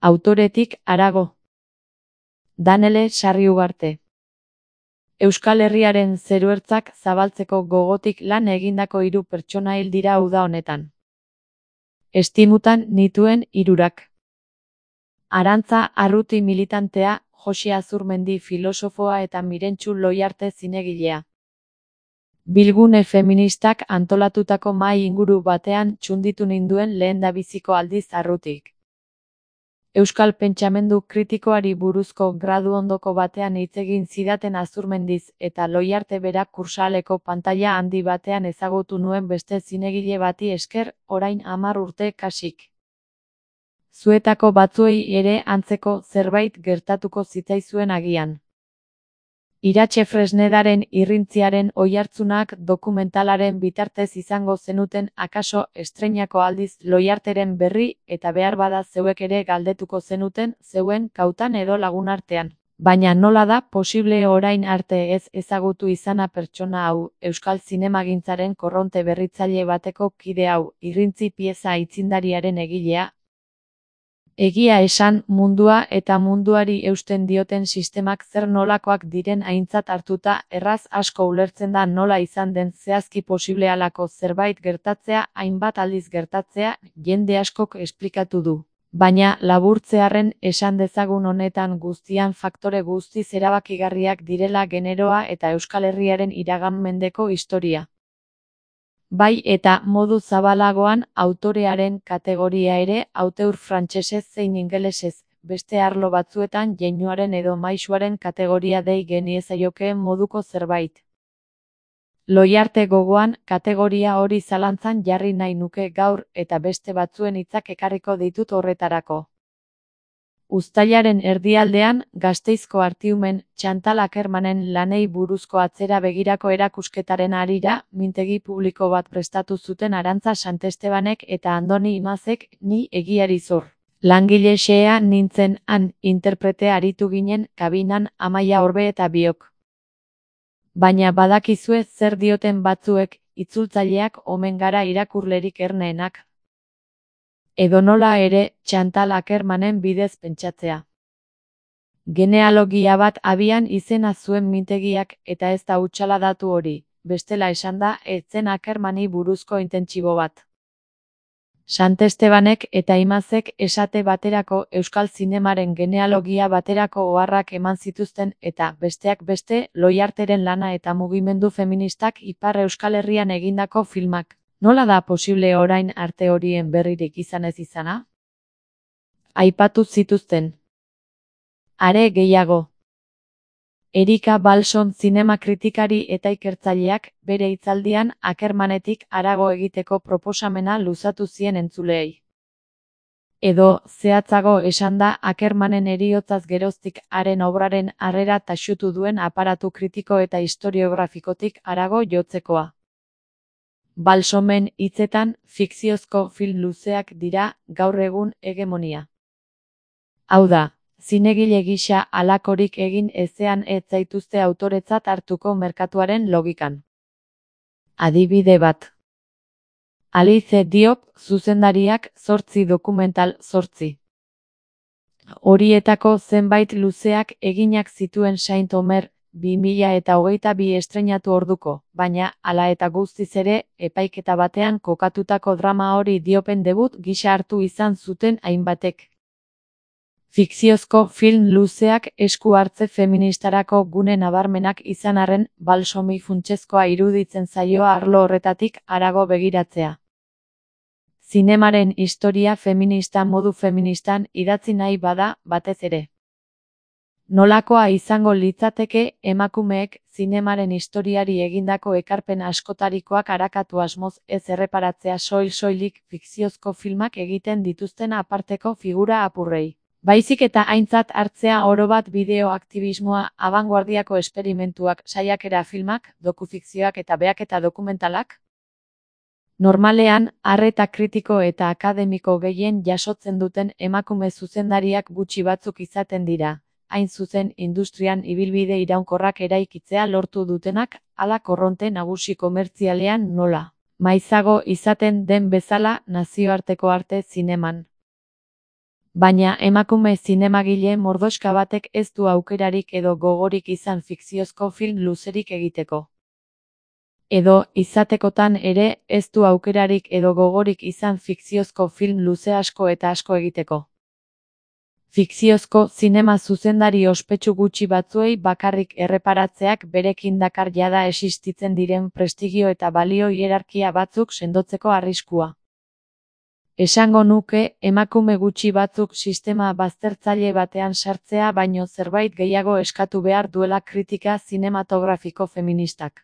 Autoretik harago. Danele Sarriugarte. Euskal Herriaren zeruertzak zabaltzeko gogotik lan egindako 3 pertsona hil dira uda honetan. Estimutan nituen 3. Arantza Arruti militantea, Josi Azurmendi filosofoa eta Mirentxu Loiarte zinegilea. Bilgune feministak antolatutako mahai inguru batean txunditu ninduen lehendabiziko aldiz Arrutik. Euskal pentsamendu kritikoari buruzko gradu ondoko batean hitz egin zidaten Azurmendiz eta Loiarte berak kursaleko pantaila handi batean ezagutu nuen beste zinegile bati esker, orain 10 urte kasik. Zuetako batzuei ere antzeko zerbait gertatuko zitzaizuen agian. Iratxe Fresnedaren irrintziaren oihartzunak dokumentalaren bitartez izango zenuten akaso estreinako aldiz Loiarteren berri eta beharbada zeuek ere galdetuko zenuten zeuen kautan edo lagunartean. Baina nola da posible orain arte ez ezagutu izana pertsona hau, euskal zinemagintzaren korronte berritzaile bateko kide hau, irrintzi pieza aitzindariaren egilea? Egia esan, mundua eta munduari eusten dioten sistemak zer nolakoak diren aintzat hartuta, erraz asko ulertzen da nola izan den zehazki posible halako zerbait gertatzea, hainbat aldiz gertatzea, jende askok esplikatu du. Baina, laburtzearren esan dezagun honetan guztian faktore guztiz erabakigarriak direla generoa eta Euskal Herriaren iragan mendeko historia. Bai eta modu zabalagoan autorearen kategoria ere auteur frantsesez zein ingelesez, beste arlo batzuetan jeinuaren edo maisuaren kategoria dei geniezaiokeen moduko zerbait. Loiarte gogoan, kategoria hori zalantzan jarri nahi nuke gaur eta beste batzuen hitzak ekarriko ditut horretarako. Uztailaren erdialdean, Gasteizko Artiumen, Txantal Akermanen lanei buruzko atzera begirako erakusketaren harira, mintegi publiko bat prestatu zuten Arantza Santestebanek eta Andoni Imazek, ni egiari zor. Langile xehea nintzen han interprete aritu ginen kabinan Amaia Orbe eta biok. Baina badakizue zer dioten batzuek, itzultzaileak omen gara irakurlerik erneenak. Edonola ere, Txantal Akermanen bidez pentsatzea. Genealogia bat abian izena zuen mintegiak eta ez da hutsala datu hori, bestela esanda ez zen Akermani buruzko intentsibo bat. Santestebanek eta Imazek esate baterako euskal zinemaren genealogia baterako oharrak eman zituzten eta, besteak beste, Loiarteren lana eta mugimendu feministak Ipar Euskal Herrian egindako filmak. Nola da posible orain arte horien berririk izan ez izana? Aipatu zituzten. Are gehiago. Erika Balson zinema kritikari eta ikertzaileak bere hitzaldian Akermanetik harago egiteko proposamena luzatu zien entzuleei. Edo, zehatzago esanda Akermanen heriotzaz geroztik haren obraren harrera taxutu duen aparatu kritiko eta historiografikotik harago jotzekoa. Balsomen hitzetan, fikziozko film luzeak dira gaur egun hegemonia. Hau da, zinegile gisa halakorik egin ezean ez zaituzte autoretzat hartuko merkatuaren logikan. Adibide bat. Alice Diop, zuzendariak 8 dokumental 8. Horietako zenbait luzeak eginak zituen Saint Omer, 2022 estreinatu orduko, baina, hala eta guztiz ere, epaiketa batean kokatutako drama hori Diopen debut gisa hartu izan zuten hainbatek. Fikziozko film luzeak esku hartze feministarako gune nabarmenak izan arren, Balsomi funtsezkoa iruditzen zaio arlo horretatik harago begiratzea. Zinemaren historia feminista modu feministan idatzi nahi bada, batez ere. Nolakoa izango litzateke emakumeek zinemaren historiari egindako ekarpen askotarikoak arakatu asmoz ez erreparatzea soilik fikziozko filmak egiten dituzten aparteko figura apurrei. Baizik eta aintzat hartzea orobat bideoaktibismoa, abanguardiako esperimentuak, saiakera filmak, dokufikzioak eta behaketa dokumentalak? Normalean, arreta kritiko eta akademiko gehien jasotzen duten emakume zuzendariak gutxi batzuk izaten dira. Hain zuzen industrian ibilbide iraunkorrak eraikitzea lortu dutenak, hala korronte nagusi komertzialean nola. Maizago izaten den bezala nazioarteko arte zineman. Baina emakume zinemagile mordoxka batek ez du aukerarik edo gogorik izan fikziozko film luzerik egiteko. Edo, izatekotan ere, ez du aukerarik edo gogorik izan fikziozko film luze asko eta asko egiteko. Fikziozko zinema zuzendari ospetsu gutxi batzuei bakarrik erreparatzeak berekin dakar jada existitzen diren prestigio eta balio hierarkia batzuk sendotzeko arriskua. Esango nuke, emakume gutxi batzuk sistema baztertzaile batean sartzea baino zerbait gehiago eskatu behar duela kritika zinematografiko feministak.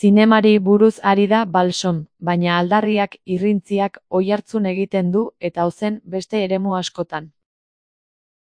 Zinemari buruz ari da Balson, baina aldarriak, irrintziak, oihartzun egiten du, eta ozen, beste eremu askotan.